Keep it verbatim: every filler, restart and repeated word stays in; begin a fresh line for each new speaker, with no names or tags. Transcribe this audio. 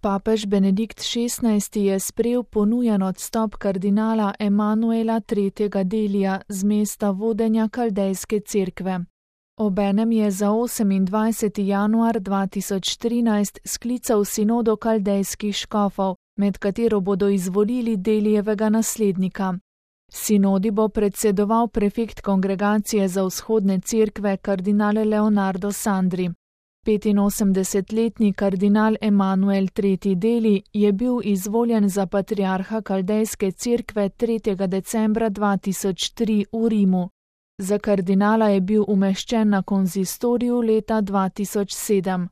Papež Benedikt šestnajsti je sprejel ponujen odstop kardinala Emanuela tretjega Delija z mesta vodenja Kaldejske cerkve. Obenem je za osemindvajseti januar dva tisoč trinajst sklical sinodo kaldejskih škofov, med katero bodo izvolili Delijevega naslednika. Sinodi bo predsedoval prefekt Kongregacije za vzhodne cerkve kardinal Leonardo Sandri. petinosemdesetletni kardinal Emanuel tretji Deli je bil izvoljen za patriarha Kaldejske cerkve tretjega decembra dva tisoč tri v Rimu. Za kardinala je bil umeščen na konzistoriju leta dva tisoč sedem.